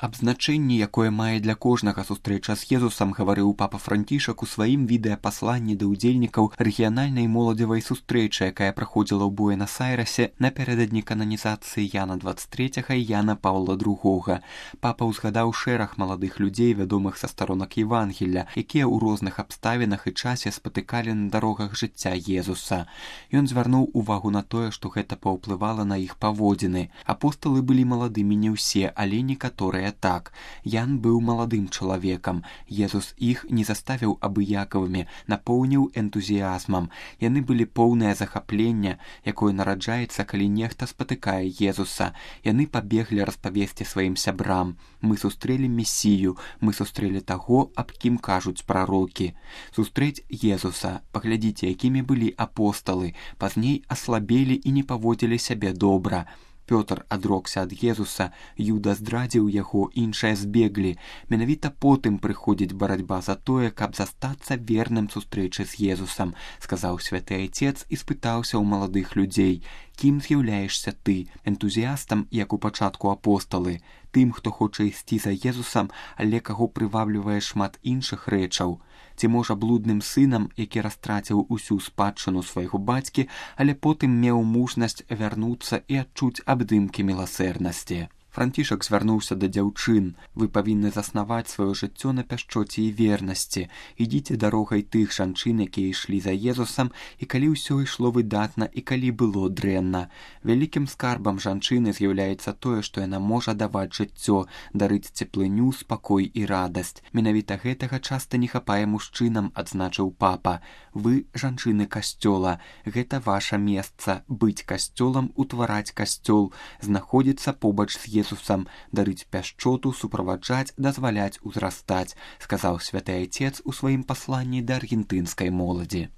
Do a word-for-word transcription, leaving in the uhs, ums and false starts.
Аб значэнні, якое мае для кожнага сустрэча з Езусам, гаварыў папа Францішак у сваім відэапасланні да ўдзельнікаў рэгіянальнай моладзевай сустрэчы, якая праходзіла ў Буэнас-Айрэсе напярэдадні кананізацыі Яна дваццаць трэцяга і Яна Паўла другога. Папа ўзгадаў шэраг маладых людзей, вядомых са старонак Евангелля, якія ў розных абставінах і часе спатыкалі на дарогах жыцця Езуса. Ён звярнуў увагу на тое, што гэта паўплывала на іх паводзіны. Апосталы былі маладымі не ўсе, але некаторыя так. Ян быў маладым чалавекам. Езус іх не заставіў абыякавымі, напоўніў энтузіязмам. Яны былі поўныя захаплення, якое нараджаецца, калі нехта спатыкае Езуса. Яны пабеглі распавесці сваім сябрам. Мы сустрэлі Месію, мы сустрэлі таго, аб кім кажуць прарокі. Сустрэць Езуса. Паглядзіце, якімі былі апосталы. Пазней аслабелі і не паводзілі сябе добра. Пётр адрокся ад Езуса, Юда здрадзіў яго, іншыя збеглі. Менавіта потым прыходзіць барацьба за тое, каб застацца верным сустрэчы з Езусам, сказаў святы айцец і спытаўся ў маладых людзей: кім з'яўляешся ты? Энтузіястам, як у пачатку апосталы, тым, хто хоча ісці за Езусам, але каго прываблівае шмат іншых рэчаў? Ці можа блудным сынам, які растраціў усю спадчыну свайго бацькі, але потым меў мужнасць вярнуцца і адчуць абдымкі міласэрнасці? Францішак звярнуўся да дзяўчын: вы павінны заснаваць сваё жыццё на пяшчоце і вернасці. Ідзіце дарогай тых жанчын, якія ішлі за Езусам, і калі ўсё ішло выдатна і калі было дрэнна. Вялікім скарбам жанчыны з'яўляецца тое, што яна можа даваць жыццё, дарыць цеплыню, спакой і радасць. Менавіта гэтага часта не хапае мужчынам, адзначыў папа. Вы жанчыны касцёла. Гэта ваша месца быць касцёлам, утвараць касцёл, знаходзіцца побач з Езусам, дарыць пяшчоту, суправаджаць, дазваляць узрастаць, сказаў святы айцец у сваім пасланні да аргентынскай моладзі.